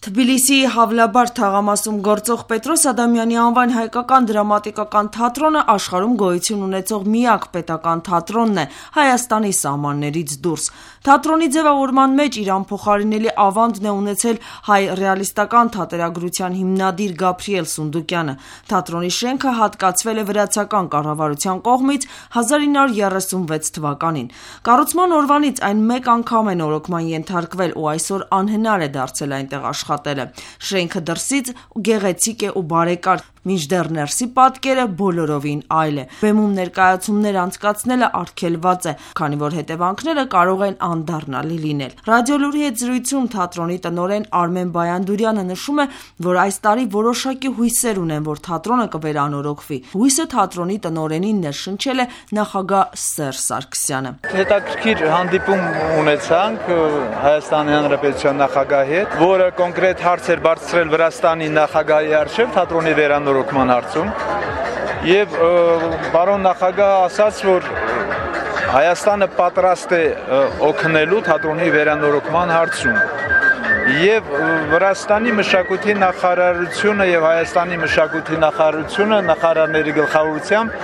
Թբիլիսիի Հավլաբար թաղամասում գործող Պետրոս Ադամյանի անվան հայկական դրամատիկական թատրոնը աշխարհում գոյություն ունեցող միակ պետական թատրոնն է Հայաստանի սահմաններից դուրս։ Թատրոնի ձևավորման մեջ իր անփոխարինելի ավանդն է ունեցել հայ ռեալիստական թատերագրության հիմնադիր Գաբրիել Սունդուկյանը։ Թատրոնի շենքը հատկացվել է վրացական կառավարության կողմից 1936 թվականին։ Կառուցման օրվանից այն մեկ անգամ է նորոգման ենթարկվել ու այսօր անհնար է դարձել այնտեղ աշխատելը։ Շենքը դրսից գեղեցիկ է ու բարեկարգ, մինչդեռ ներսի պատկերը բոլորովին այլ է։ Բեմում ներկայացումներ անցկացնելը արգելված է, քանի որ հետևանքները կարող են անդառնալի լինել։ Ռադիոլուրի հետ զրույցում թատրոնի տնօրեն Արմեն Բայանդուրյանը նշում է, որ այս տարի որոշակի հույսեր ունեն, որ թատրոնը կվերանորոգվի։ Հույսը թատրոնի տնօրենին ներշնչել է նախագահ Սերժ Սարգսյանը։ Հետաքրքիր հանդիպում ունեցանք Հայաստանի Հանրապետության նախագահի հետ, որը կոնկրետ հարցեր բարձրացրել Վրաստանի նախագահի առջև թատրոնի վերանորոգման հարցում, եւ պարոն նախագահը ասաց, որ Հայաստանը պատրաստ է օգնելու թատրոնի վերանորոգման հարցում, եւ Վրաստանի մշակույթի նախարարությունը եւ Հայաստանի մշակույթի նախարարությունը նախարարների գլխավորությամբ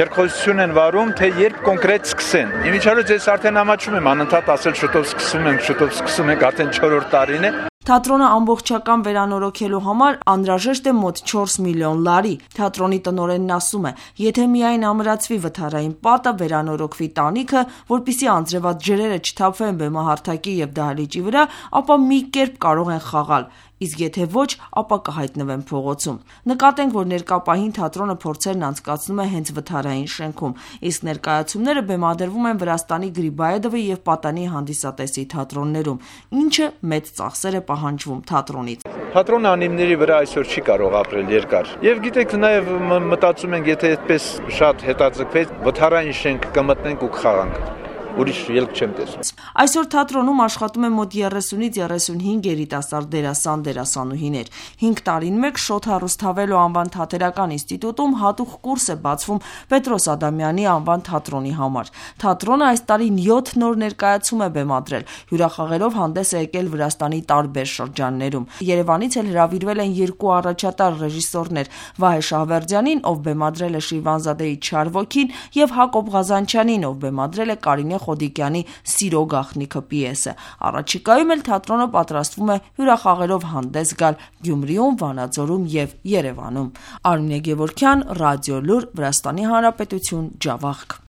երկխոսություն են վարում, թե երբ կոնկրետ սկսեն։ Իմիջիայլոց ես արդեն ամաչում եմ անընդհատ ասել շուտով սկսում ենք, արդեն 4-րդ տարին է։ Թատրոնը ամբողջական վերանորոգելու համար անհրաժեշտ է մոտ 4 միլիոն լարի։ Թատրոնի տնօրենն ասում է, եթե միայն ամրացվի վթարային պատը, վերանորոգվի տանիքը, որպեսզի անձրևած ջրերը չթափվեն բեմահարթակի եւ դահլիճի վրա, ապա մի կերպ կարող են խաղալ, իսկ եթե ոչ, ապա կհայտնվեն փողոցում։ Նկատենք, որ ներկա պահին թատրոնը փորձերն անցկացնում է հենց վթարային շենքում, իսկ ներկայացումները բեմադրվում են Վրաստանի Գրիբայեդովի եւ Պատանի հանդիսատեսի թատրոններում, ինչը մեծ ծախսեր է պահանջվում թատրոնից։ Թատրոնը անիմների վրա այսօր չի կարող ապրել երկար։ Եվ գիտեք, նաեւ մտածում ենք, եթե այդպես շատ հետաձգվեց, վթարային շենք կմտնենք ու կխաղանք։ Ուրիշ ելք չեմ տեսնում։ Այսօր թատրոնում աշխատում է մոտ 30-ից 35 երիտասարդ դերասան դերասանուհիներ։ 5 տարին մեկ Շոթ Հարուսթավելո անվան թատերական ինստիտուտում հատուկ կուրս է բացվում Պետրոս Ադամյանի անվան թատրոնի համար։ Թատրոնը այս տարի 7 նոր ներկայացում է բեմադրել, հյուրախաղերով հանդես է եկել Վրաստանի տարբեր շրջաններում։ Երևանից էլ հրավիրվել են 2 առաջատար ռեժիսորներ՝ Վահե Շահվերդյանին, ով բեմադրել է Շիրվանզադեի Չար ոգին, եւ Հակոբ Ղազանչյանին, ով բեմադրել է Կարինե Խոդիկյանի Սիրո գաղտնիքը պիեսը։ Առաջիկայում էլ թատրոնը պատրաստվում է հյուրախաղերով հանդես գալ Գյումրիում, Վանաձորում եւ Երևանում։ Արմինե Գևորգյան, Ռադիոլուր, Վրաստանի Հանրապետություն, Ջավախք։